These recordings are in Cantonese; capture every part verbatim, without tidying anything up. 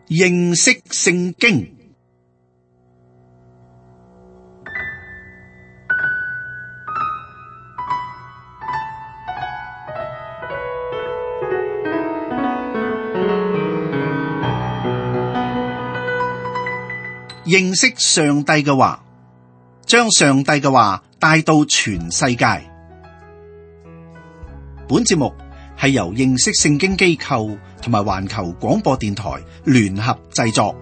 認識聖經。認識上帝嘅話，將上帝嘅話帶到全世界。本節目係由認識聖經機構同埋環球廣播電台聯合製作。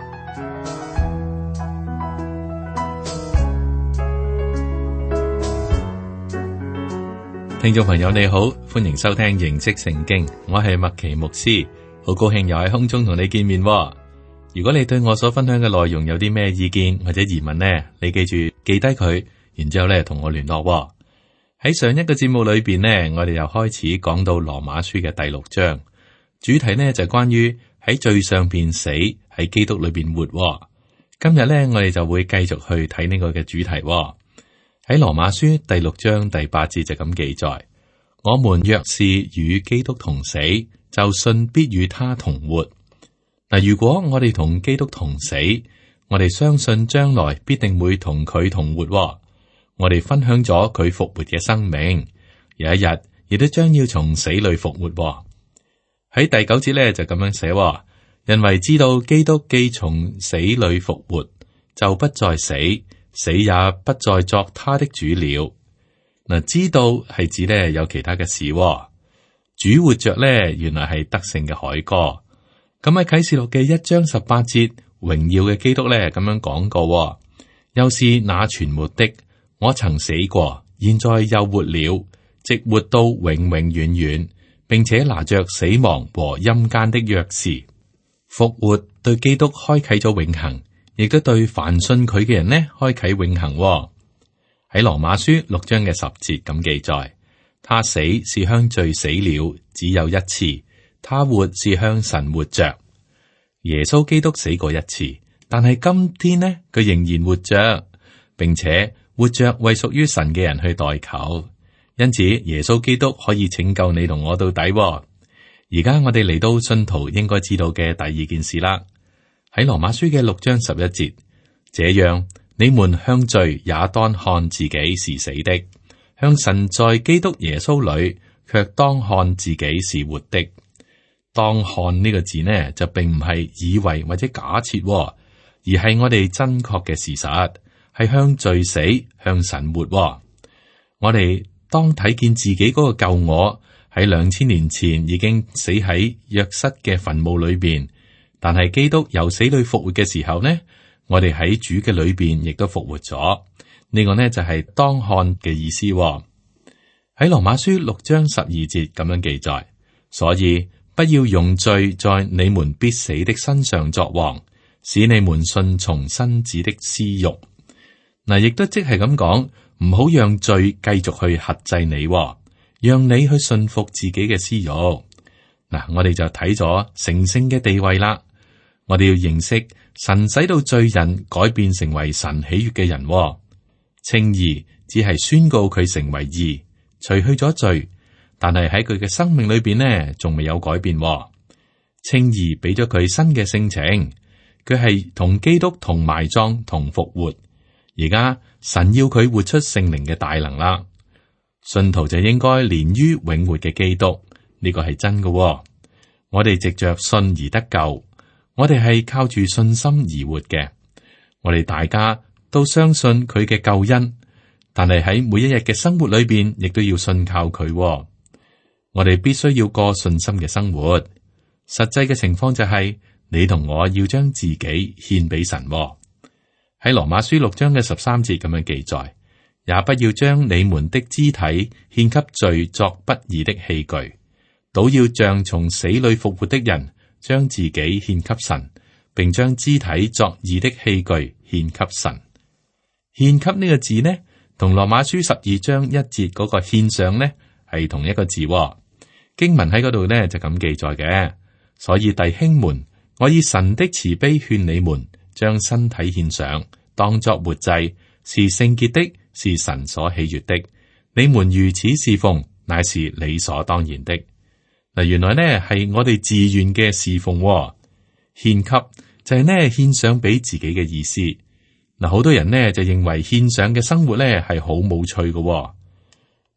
聽眾朋友你好，歡迎收聽認識聖經，我係麥奇牧師，好高興又喺空中同你見面。如果你對我所分享嘅內容有啲咩意見或者疑問呢，你記住記低佢，然之後咧同我聯絡。喺上一個節目裏邊呢，我哋又開始講到羅馬書嘅第六章，主題呢就係關於喺罪上邊死，喺基督裏邊活。今日呢，我哋就會繼續去睇呢個嘅主題。喺羅馬書第六章第八節就咁記載：我們若是與基督同死，就信必與他同活。嗱，如果我哋同基督同死，我哋相信將來必定會同佢同活。我哋分享咗佢復活嘅生命，有一日亦都將要從死裏復活。喺第九節咧就咁樣寫：因為知道基督既從死裏復活，就不再死，死也不再作他的主了。嗱，知道係指咧有其他嘅事，主活着咧，原來係得勝嘅凱歌。咁喺啟示錄嘅一章十八節，榮耀嘅基督咧咁樣講過：又是那存活的，我曾死過，現在又活了，直活到永永遠遠，並且拿着死亡和陰間的鑰匙。復活對基督開啟咗永恆，亦都對凡信佢嘅人呢開啟永恆。喺羅馬書六章嘅十節咁記載：他死是向罪死了，只有一次。他活是向神活着。耶穌基督死過一次，但係今天呢，佢仍然活着，並且活着為屬於神嘅人去代求。因此，耶穌基督可以拯救你同我到底。而家我哋嚟到信徒應該知道嘅第二件事啦。喺羅馬書嘅六章十一節，這樣你們向罪也當看自己是死的，向神在基督耶穌裏卻當看自己是活的。當看呢個字呢，就並唔係以為或者假設，而係我哋真確嘅事實，係向罪死，向神活。我哋當睇見自己嗰個舊我喺兩千年前已經死喺約瑟嘅墳墓裏邊，但係基督由死裏復活嘅時候呢，我哋喺主嘅裏邊亦都復活咗。呢個呢就係當看嘅意思。喺羅馬書六章十二節咁樣記載，所以不要用罪在你們必死的身上作王，使你們順從身子的私欲。嗱，亦都即係咁講，唔好讓罪繼續去轄制你，讓你去順服自己嘅私欲。嗱，我哋就睇咗成聖嘅地位啦。我哋要認識神使到罪人改變成為神喜悅嘅人。稱義只係宣告佢成為義，除去咗罪。但係喺佢嘅生命裏邊呢，仲未有改變。稱義俾咗佢新嘅性情，佢係同基督同埋葬同復活。而家神要佢活出聖靈嘅大能啦，信徒就應該連於永活嘅基督，呢個係真嘅。我哋藉着信而得救，我哋係靠住信心而活嘅。我哋大家都相信佢嘅救恩，但係喺每一日嘅生活裏邊，亦都要信靠佢。我哋必須要過信心嘅生活。實際嘅情況就係、是、你同我要將自己獻俾神。喺羅馬書六章嘅十三節咁樣記載，也不要將你們的肢體獻給罪作不義的器具，倒要像從死裏復活的人，將自己獻給神，並將肢體作義的器具獻給神。獻給呢個字呢，同羅馬書十二章一節嗰個獻上呢係同一個字。經文喺嗰度呢就咁記載嘅，所以弟兄們，我以神的慈悲勸你們，將身體獻上，當作活祭，是聖潔的，是神所喜悅的。你們如此侍奉，乃是理所當然的。嗱，原來呢係我哋自願嘅侍奉，獻給就係呢獻上俾自己嘅意思。嗱，好多人呢就認為獻上嘅生活呢係好冇趣嘅。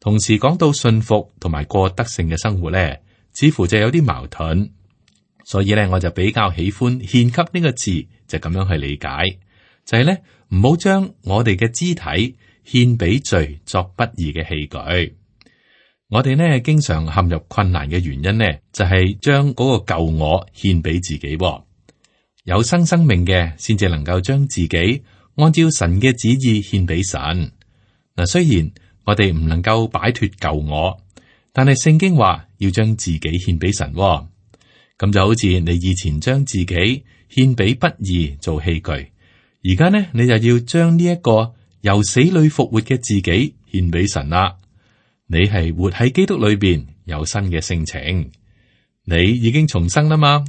同時講到信服同埋過得勝嘅生活呢，似乎就有啲矛盾。所以呢，我就比較喜歡獻給呢個字，就咁樣去理解，就係呢，唔好將我哋嘅肢體獻俾罪作不義嘅器具。我哋呢經常陷入困難嘅原因呢，就係將嗰個舊我獻俾自己。有生生命嘅先至能夠將自己按照神嘅旨意獻俾神。嗱，雖然我哋唔能夠擺脫舊我，但係聖經話要將自己獻俾神。咁就好似你以前將自己獻俾不義做器具，而家呢你就要將呢一個由死裏復活嘅自己獻俾神啦。你係活喺基督裏邊，有新嘅性情，你已經重生啦嘛。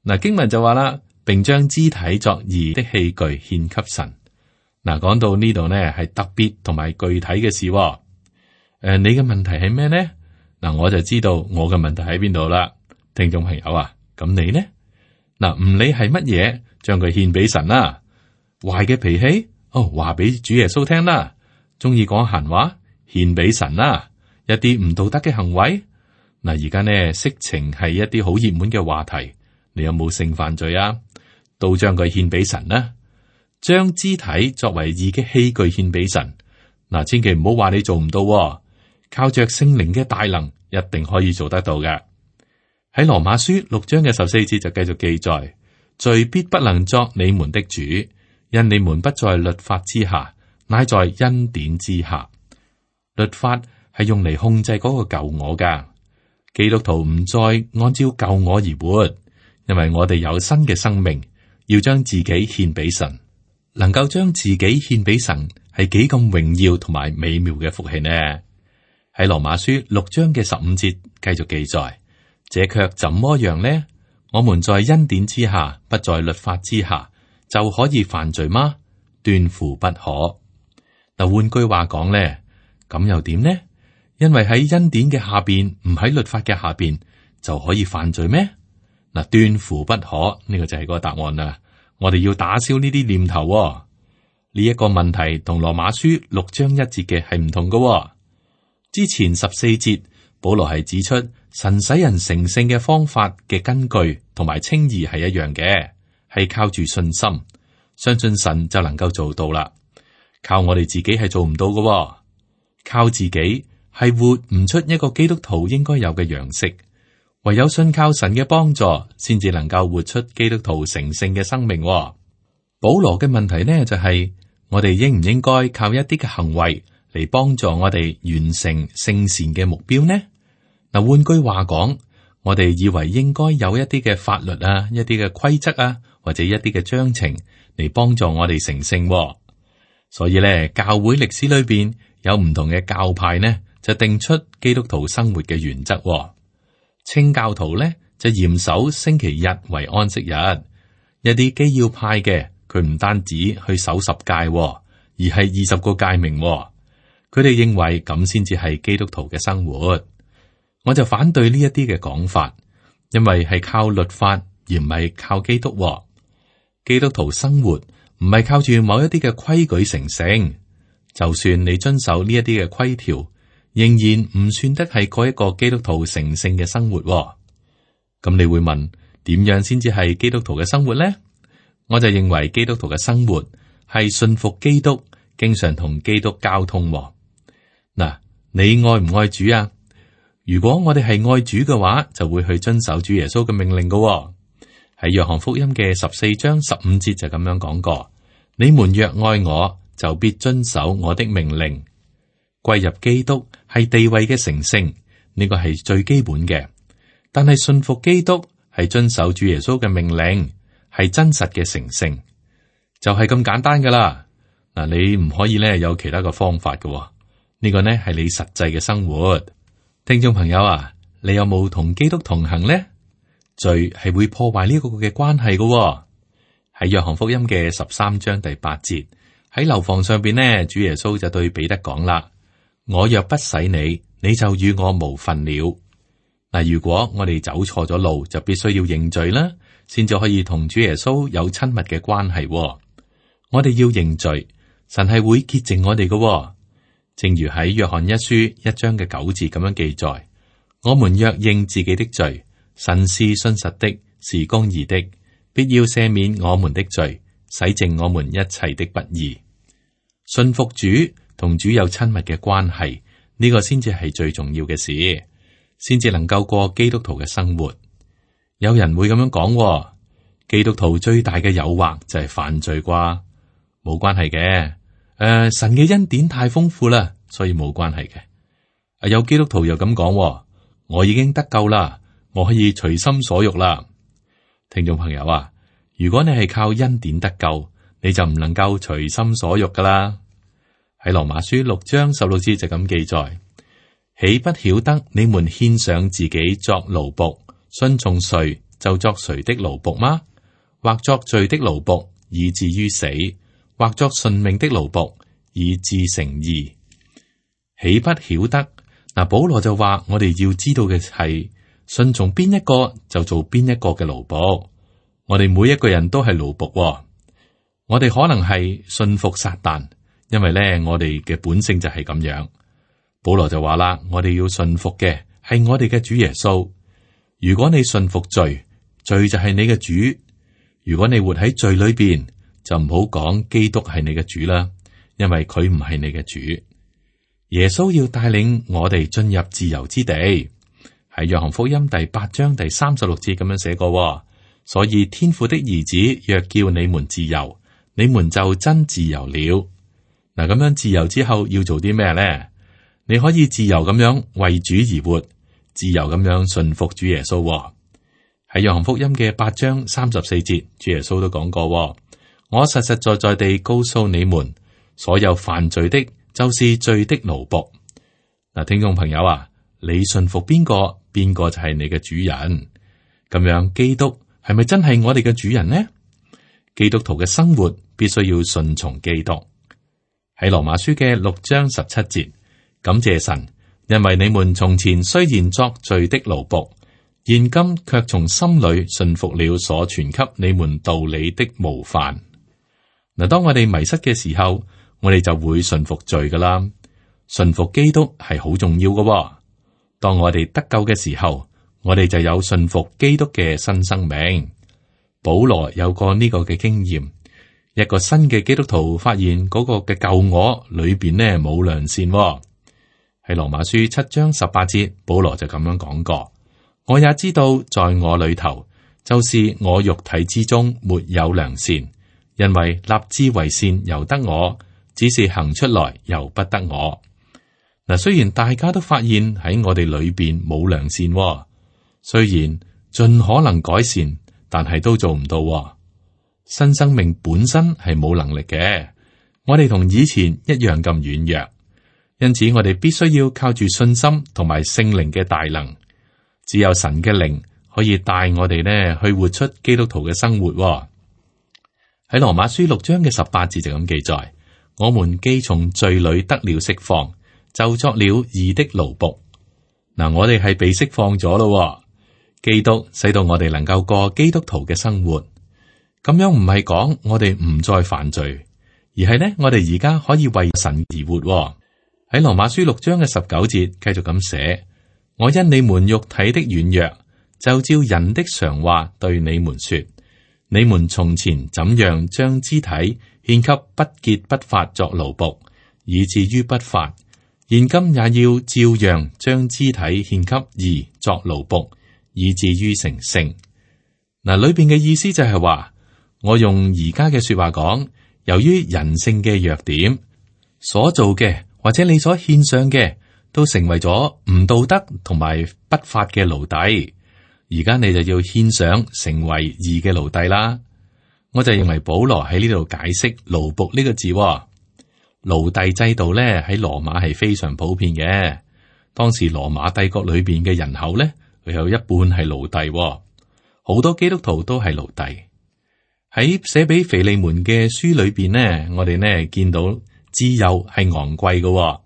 嗱，經文就話啦，並將肢體作義的器具獻給神。嗱，講到呢度呢係特別同埋具體嘅事。誒、呃，你嘅問題係咩呢？嗱，我就知道我嘅問題喺邊度啦。聽眾朋友啊，咁你呢？嗱，唔理係乜嘢，將佢獻俾神啦。壞嘅脾氣，哦，話俾主耶穌聽啦。中意講閒話，獻俾神啦。一啲唔道德嘅行為，嗱，而家呢色情係一啲好熱門嘅話題，你有冇性犯罪啊？都將佢獻俾神啦。將肢體作為義嘅器具獻俾神，嗱，千祈唔好話你做唔到喎，靠着聖靈嘅大能，一定可以做得到嘅。喺羅馬書六章嘅十四節就繼續記載，罪必不能作你們的主，因你們不在律法之下，乃在恩典之下。律法係用嚟控制嗰個舊我噶，基督徒唔再按照舊我而活，因為我哋有新嘅生命，要將自己獻俾神。能夠將自己獻俾神，係幾咁榮耀同埋美妙嘅福氣呢？喺羅馬書六章嘅十五節繼續記載。這卻怎麼樣呢？我們在恩典之下，不在律法之下，就可以犯罪嗎？斷乎不可。嗱，換句話講呢，咁又點呢？因為喺恩典嘅下邊，唔喺律法嘅下邊，就可以犯罪咩？嗱，斷乎不可，呢個就係個答案啦。我哋要打消呢啲念頭。呢一個問題同羅馬書六章一節嘅係唔同嘅。之前十四節，保羅係指出。神使人成聖嘅方法嘅根據同埋稱義係一樣嘅，係靠住信心，相信神就能夠做到啦。靠我哋自己係做唔到嘅，靠自己係活唔出一個基督徒應該有嘅樣式。唯有信靠神嘅幫助，先至能夠活出基督徒成聖嘅生命。保羅嘅問題呢，就係、是、我哋應唔應該靠一啲嘅行為嚟幫助我哋完成聖善嘅目標呢？嗱，換句話講，我哋以為應該有一啲嘅法律啊，一啲嘅規則啊，或者一啲嘅章程嚟幫助我哋成聖。所以咧，教會歷史裏邊有唔同嘅教派呢，就定出基督徒生活嘅原則。清教徒咧就嚴守星期日為安息日，一啲基要派嘅佢唔單止去守十誡，而係二十個誡命。佢哋認為咁先至係基督徒嘅生活。我就反對呢一啲嘅講法，因為係靠律法而唔係靠基督。基督徒生活唔係靠住某一啲嘅規矩成聖，就算你遵守呢一啲嘅規條，仍然唔算得係過一個基督徒成聖嘅生活。咁你會問，點樣先至係基督徒嘅生活呢？我就認為基督徒嘅生活係信服基督，經常同基督交通。嗱，你愛唔愛主啊？如果我哋係愛主嘅話，就會去遵守主耶穌嘅命令嘅。喺約翰福音嘅十四章十五節就咁樣講過：你們若愛我，就必遵守我的命令。歸入基督係地位嘅成聖，呢個係最基本嘅。但係信服基督係遵守主耶穌嘅命令，係真實嘅成聖，就係咁簡單噶啦。嗱，你唔可以咧有其他嘅方法嘅。呢個呢係你實際嘅生活。聽眾朋友啊，你有冇同基督同行呢？罪係會破壞呢個嘅關係嘅、哦。喺約翰福音嘅十三章第八節，喺樓房上邊呢，主耶穌就對彼得講啦：我若不洗你，你就與我無分了。嗱，如果我哋走錯咗路，就必須要認罪啦，先至可以同主耶穌有親密嘅關係。我哋要認罪，神係會潔淨我哋嘅。正如喺約翰一書一章嘅九字咁樣記載：我們若認自己的罪，神是信實的，是公義的，必要赦免我們的罪，洗淨我們一切的不義。信服主，同主有親密嘅關係，呢個先至係最重要嘅事，先至能夠過基督徒嘅生活。有人會咁樣講，基督徒最大嘅誘惑就係犯罪啩？冇關係嘅，誒、呃，神嘅恩典太豐富啦，所以冇關係嘅。有基督徒又咁講，我已經得救啦，我可以隨心所欲啦。聽眾朋友啊，如果你係靠恩典得救，你就唔能夠隨心所欲噶啦。喺羅馬書六章十六節就咁記載：豈不曉得你們獻上自己作奴僕，順從誰就作誰的奴僕嗎？或作罪的奴僕，以至於死；或作順命的奴僕，以致成義。豈不曉得？嗱，保羅就話我哋要知道嘅係順從邊一個就做邊一個嘅奴僕。我哋每一個人都係奴僕，我哋可能係信服撒旦，因為咧我哋嘅本性就係咁樣。保羅就話啦，我哋要信服嘅係我哋嘅主耶穌。如果你信服罪，罪就係你嘅主；如果你活喺罪裏邊，就唔好講基督係你嘅主啦，因為佢唔係你嘅主。耶穌要帶領我哋進入自由之地，喺約翰福音第八章第三十六節咁樣寫過。所以天父的兒子若叫你們自由，你們就真自由了。嗱，咁樣自由之後要做啲咩咧？你可以自由咁樣為主而活，自由咁樣順服主耶穌。喺約翰福音嘅八章三十四節，主耶穌都講過：我實實在在地告訴你們，所有犯罪的，就是罪的奴僕。嗱，聽眾朋友啊，你順服邊個，邊個就係你嘅主人。咁樣基督係咪真係我哋嘅主人呢？基督徒嘅生活必須要順從基督。喺羅馬書嘅六章十七節，感謝神，因為你們從前雖然作罪的奴僕，現今卻從心裏順服了所傳給你們道理的模範。嗱，當我哋迷失嘅時候，我哋就會順服罪噶啦。順服基督係好重要噶。當我哋得救嘅時候，我哋就有順服基督嘅新生命。保羅有過呢個嘅經驗，一個新嘅基督徒發現嗰個嘅舊我裏邊呢冇良善。喺羅馬書七章十八節，保羅就咁樣講過：我也知道在我裏頭，就是我肉體之中沒有良善，因為立志為善由得我，只是行出來由不得我。嗱，雖然大家都發現喺我哋裏邊冇良善，雖然盡可能改善，但係都做唔到。新生命本身係冇能力嘅，我哋同以前一樣咁軟弱，因此我哋必須要靠住信心同埋聖靈嘅大能。只有神嘅靈可以帶我哋呢去活出基督徒嘅生活。喺羅馬書六章嘅十八節就咁記載：我們既從罪裏得了釋放，就作了義的奴僕。嗱，我哋係被釋放咗咯。基督使到我哋能夠過基督徒嘅生活，咁樣唔係講我哋唔再犯罪，而係呢，我哋而家可以為神而活。喺羅馬書六章嘅十九節繼續咁寫：我因你們肉體的軟弱，就照人的常話對你們說，你們從前怎樣將肢體獻給不潔不法作奴僕，以至於不法，現今也要照樣將肢體獻給義作奴僕，以至於成聖。嗱，裏邊嘅意思就係話，我用而家嘅說話講，由於人性嘅弱點，所做嘅或者你所獻上嘅，都成為咗唔道德同埋不法嘅奴隸。而家你就要獻上成為義嘅奴隸啦。我就認為保羅喺呢度解釋奴僕呢個字，奴隸制度咧喺羅馬係非常普遍嘅。當時羅馬帝國裏邊嘅人口咧，佢有一半係奴隸，好多基督徒都係奴隸。喺寫俾腓利門嘅書裏邊呢，我哋呢見到自由係昂貴嘅。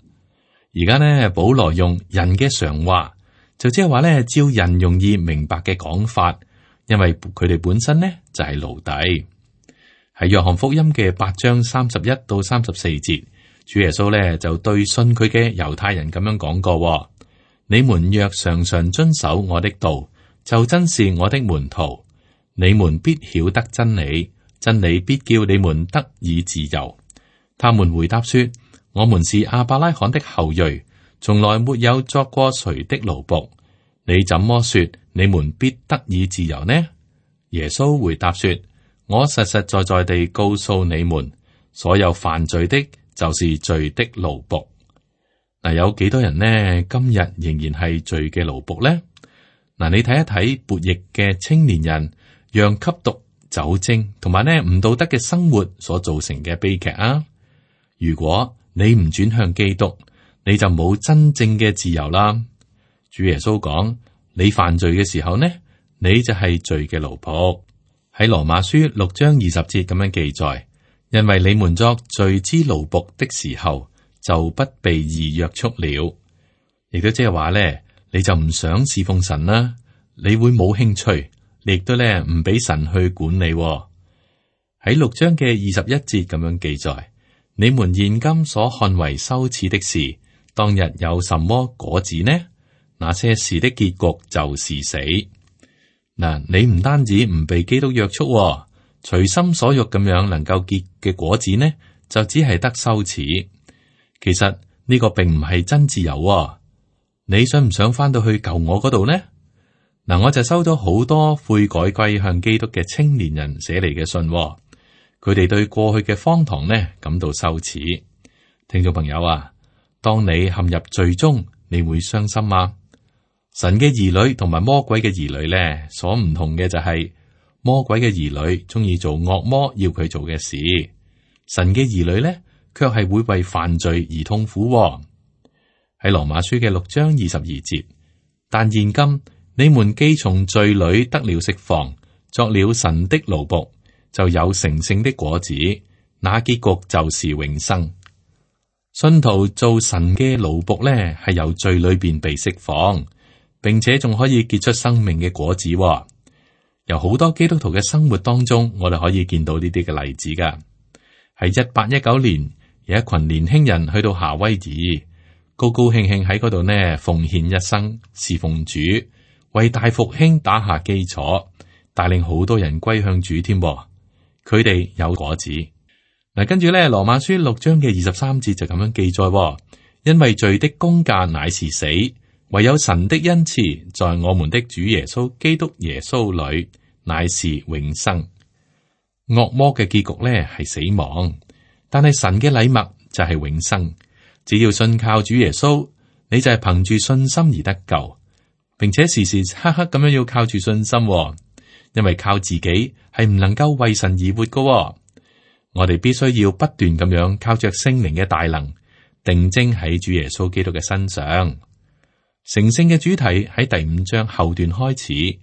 而家呢，保羅用人嘅常話，就即係話咧，照人容易明白嘅講法，因為佢哋本身呢就係奴隸。喺約翰福音嘅八章三十一到三十四節，主耶穌呢就對信佢嘅猶太人咁樣講過：你們若常常遵守我的道，就真是我的門徒。你們必曉得真理，真理必叫你們得以自由。他們回答說：我們是亞伯拉罕的後裔，從來沒有作過誰的奴僕。你怎麼說你們必得以自由呢？耶穌回答說：我實實在在地告訴你們，所有犯罪的，就是罪的奴僕。嗱，有幾多人呢？今日仍然係罪嘅奴僕呢？嗱，你睇一睇悖逆嘅青年人，讓吸毒、酒精同埋呢唔道德嘅生活所造成嘅悲劇啊！如果你唔轉向基督，你就冇真正嘅自由啦。主耶穌講：你犯罪嘅時候呢，你就係罪嘅奴僕。喺羅馬書六章二十節咁樣記載，因為你們作罪之奴僕的時候，就不被義約束了。亦都即係話咧，你就唔想侍奉神啦，你會冇興趣，你亦都咧唔俾神去管理。喺六章嘅二十一節咁樣記載，你們現今所看為羞恥的事，當日有什麼果子呢？那些事的結局就是死。嗱，你唔單止唔被基督約束，隨心所欲咁樣能夠結嘅果子呢，就只係得羞恥。其實呢個並唔係真自由。你想唔想翻到去舊我嗰度呢？嗱，我就收到好多悔改歸向基督嘅青年人寫嚟嘅信，佢哋對過去嘅荒唐呢感到羞恥。聽眾朋友啊，當你陷入罪中，你會傷心嗎？神嘅兒女同埋魔鬼嘅兒女咧，所唔同嘅就係、是、魔鬼嘅兒女中意做惡魔要佢做嘅事，神嘅兒女咧卻係會為犯罪而痛苦、哦。喺羅馬書嘅六章二十二節，但現今你們既從罪裏得了釋放，作了神的奴僕，就有成聖的果子，那結局就是永生。信徒做神嘅奴僕咧，係由罪裏邊被釋放。並且仲可以結出生命嘅果子、哦，由好多基督徒嘅生活當中，我哋可以見到呢啲嘅例子噶。喺一八一九年，有一群年輕人去到夏威夷，高高興興喺嗰度呢，奉獻一生侍奉主，為大復興打下基礎，帶領好多人歸向主添。佢哋有果子。嗱，跟住咧，羅馬書六章嘅二十三節就咁樣記載、哦，因為罪的工價乃是死。唯有神的恩賜，在我們的主耶穌基督耶穌裏，乃是永生。惡魔嘅結局咧係死亡，但係神嘅禮物就係永生。只要信靠主耶穌，你就係憑住信心而得救，並且時時刻刻咁樣要靠住信心、哦，因為靠自己係唔能夠為神而活噶、哦。我哋必須要不斷咁樣靠着聖靈嘅大能，定睛喺主耶穌基督嘅身上。成聖嘅主題喺第五章後段開始，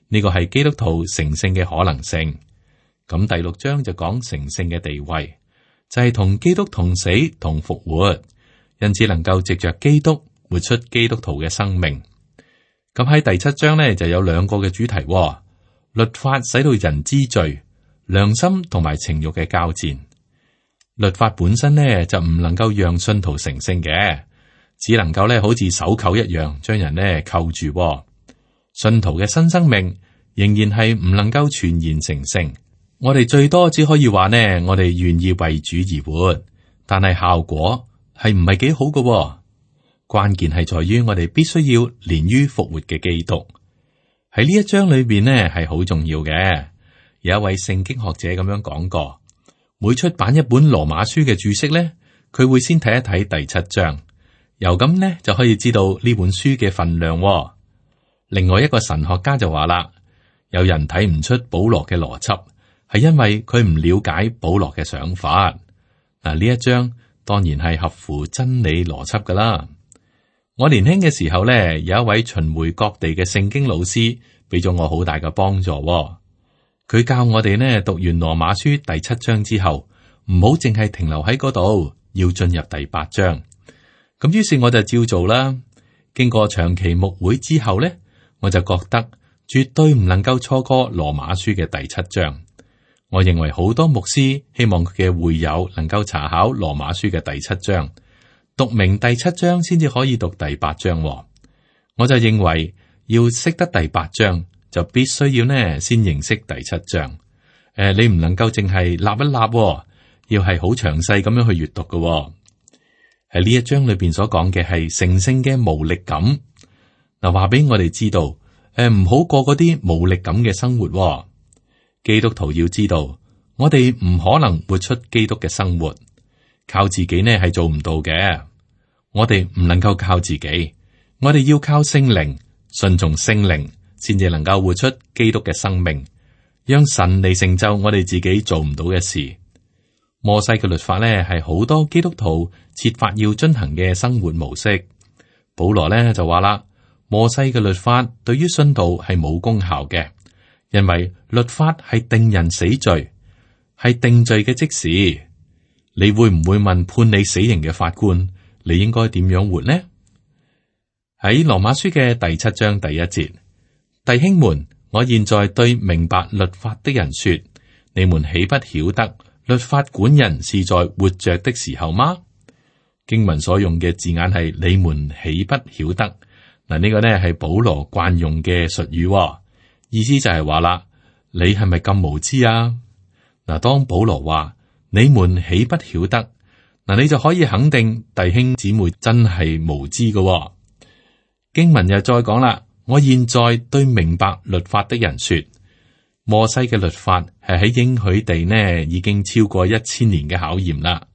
呢個係基督徒成聖嘅可能性。咁第六章就講成聖嘅地位，就係同基督同死同復活，因此能夠藉着基督活出基督徒嘅生命。咁喺第七章呢，就有兩個嘅主題，律法使到人知罪，良心同埋情慾嘅交戰。律法本身呢，就唔能夠讓信徒成聖嘅。只能夠咧，好似手扣一樣，將人咧扣住。信徒嘅新生命仍然係唔能夠全然成聖。我哋最多只可以話呢，我哋願意為主而活，但係效果係唔係幾好嘅。關鍵係在於我哋必須要連於復活嘅基督。喺呢一章裏邊呢，係好重要嘅。有一位聖經學者咁樣講過，每出版一本羅馬書嘅注釋咧，佢會先睇一睇第七章。由咁呢就可以知道呢本書嘅分量、哦。另外一個神學家就話啦，有人睇唔出保羅嘅邏輯，係因為佢唔了解保羅嘅想法。嗱，呢一章當然係合乎真理邏輯噶啦。我年輕嘅時候咧，有一位巡迴各地嘅聖經老師，俾咗我好大嘅幫助、哦。佢教我哋呢，讀完羅馬書第七章之後，唔好淨係停留喺嗰度，要進入第八章。咁於是我就照做啦。經過長期牧會之後咧，我就覺得絕對唔能夠錯過羅馬書嘅第七章。我認為好多牧師希望佢嘅會友能夠查考羅馬書嘅第七章，讀明第七章先至可以讀第八章。我就認為要識得第八章，就必須要呢先認識第七章。誒、呃，你唔能夠淨係立一立，要係好詳細咁樣去閱讀嘅。喺呢一章裏邊所講嘅係成聖嘅無力感。嗱，話俾我哋知道，誒，唔好過嗰啲無力感嘅生活。基督徒要知道，我哋唔可能活出基督嘅生活，靠自己呢係做唔到嘅。我哋唔能夠靠自己，我哋要靠聖靈，順從聖靈，先至能夠活出基督嘅生命，讓神嚟成就我哋自己做唔到嘅事。摩西嘅律法呢係好多基督徒設法要遵行嘅生活模式。保羅呢就話啦，摩西嘅律法對於信徒係冇功效嘅。因為律法係定人死罪，係定罪嘅即時。你會唔會問判你死刑嘅法官，你應該點樣活呢？喺羅馬書嘅第七章第一節，弟兄們，我現在對明白律法的人說，你們豈不曉得律法管人是在活着的時候嗎？經文所用嘅字眼係你們豈不曉得？嗱，呢個呢係保羅慣用嘅術語。意思就係話啦，你係咪咁無知啊？嗱，當保羅話你們豈不曉得，嗱，你就可以肯定弟兄姊妹真係無知嘅。經文又再講啦，我現在對明白律法的人說，摩西嘅律法係喺應許地呢已經超過一千年嘅考驗啦，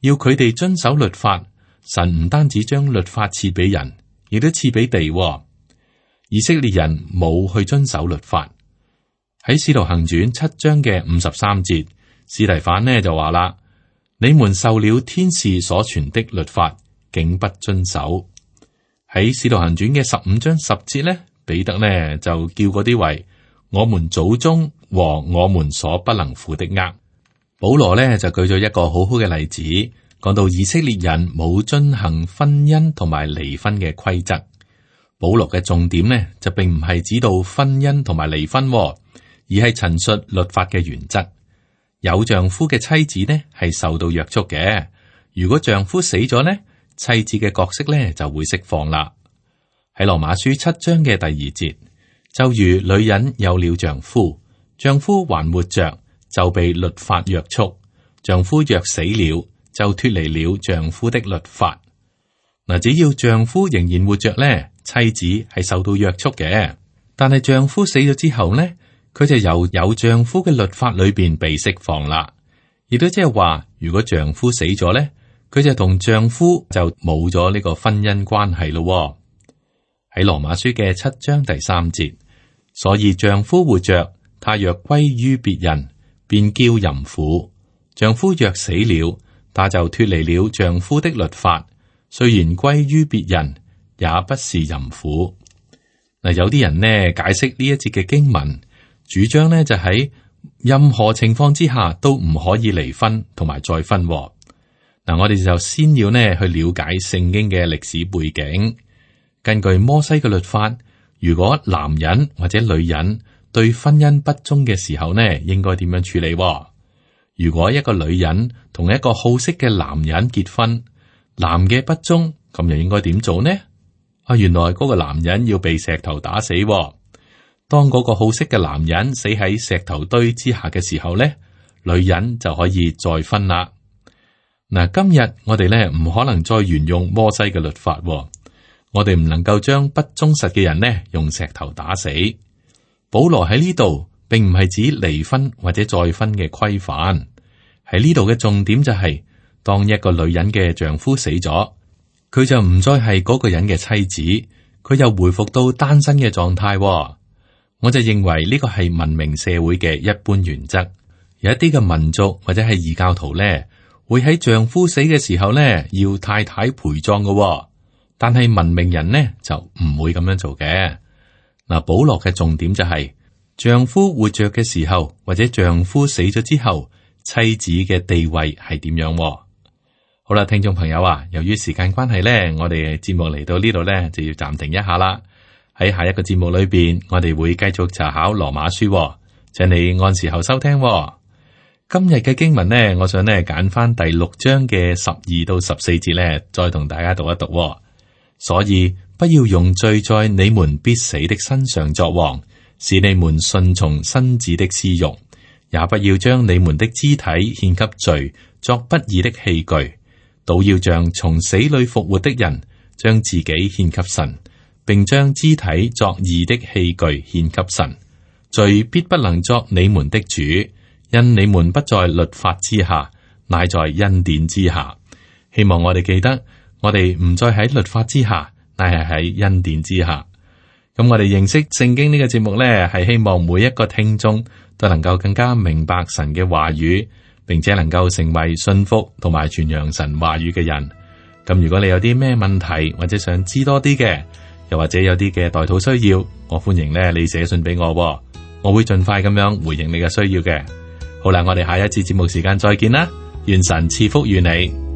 要佢哋遵守律法，神唔單止將律法賜俾人，亦都賜俾地。以色列人冇去遵守律法。喺《使徒行傳》七章嘅五十三節，司提反呢就話啦：你們受了天使所傳的律法，竟不遵守。喺《使徒行傳》嘅十五章十節呢，彼得呢就叫嗰啲為我們祖宗和我們所不能負的軛。保羅呢就舉咗一個好好嘅例子，講到以色列人冇遵行婚姻同埋離婚嘅規則。保羅嘅重點呢，就並唔係指到婚姻同埋離婚，而係陳述律法嘅原則。有丈夫嘅妻子呢，係受到約束嘅。如果丈夫死咗呢，妻子嘅角色呢就會釋放啦。喺羅馬書七章嘅第二節，就如女人有了丈夫，丈夫還活着，就被律法約束；丈夫若死了，就脫離了丈夫的律法。嗱，只要丈夫仍然活着呢，妻子係受到約束嘅，但係丈夫死咗之後呢，佢就由有丈夫嘅律法裏邊被釋放啦。亦都即係話，如果丈夫死咗呢，佢就同丈夫就冇咗呢個婚姻關係咯。喺羅馬書嘅七章第三節，所以丈夫活着，他若歸於別人，便叫淫婦；丈夫若死了，他就脫離了丈夫的律法。雖然歸於別人，也不是淫婦。嗱，有啲人呢解釋呢一節嘅經文，主張呢就喺任何情況之下都唔可以離婚同埋再婚。嗱，我哋就先要呢去了解聖經嘅歷史背景。根據摩西嘅律法，如果男人或者女人對婚姻不忠嘅時候呢，應該點樣處理？如果一個女人同一個好色嘅男人結婚，男嘅不忠，咁又應該點做呢？啊，原來嗰個男人要被石頭打死。當嗰個好色嘅男人死喺石頭堆之下嘅時候呢，女人就可以再婚啦。嗱，今日我哋咧唔可能再沿用摩西嘅律法，我哋唔能夠將不忠實嘅人呢用石頭打死。保羅喺呢度並唔係指離婚或者再婚嘅規範，喺呢度嘅重點就係、是。當一個女人嘅丈夫死咗，佢就唔再係嗰個人嘅妻子，佢又回復到單身嘅狀態。我就認為呢個係文明社會嘅一般原則。有一啲嘅民族或者係異教徒咧，會喺丈夫死嘅時候咧要太太陪葬嘅，但係文明人呢就唔會咁樣做嘅。嗱，保羅嘅重點就係、是、丈夫活着嘅時候，或者丈夫死咗之後，妻子嘅地位係點樣？好啦，聽眾朋友啊，由於時間關係咧，我哋節目嚟到呢度咧就要暫停一下啦。喺下一個節目裏邊，我哋會繼續查考羅馬書，請你按時候收聽。今日嘅經文呢，我想呢揀翻第六章嘅十二到十四節呢，再同大家讀一讀。所以不要用罪在你們必死的身上作王，使你們順從身子的私欲，也不要將你們的肢體獻給罪，作不義的器具，倒要像從死裏復活的人，將自己獻給神，並將肢體作義的器具獻給神。罪必不能作你們的主，因你們不在律法之下，乃在恩典之下。希望我哋記得，我哋唔再喺律法之下，乃係喺恩典之下。咁我哋認識聖經呢個節目呢，係希望每一個聽眾都能夠更加明白神嘅話語，並且能夠成為信服同埋傳揚神話語嘅人。咁如果你有啲咩問題，或者想知多啲嘅，又或者有啲嘅代禱需要，我歡迎呢你寫信俾我，我會盡快咁樣回應你嘅需要嘅。好啦，我哋下一次節目時間再見啦，願神賜福於你。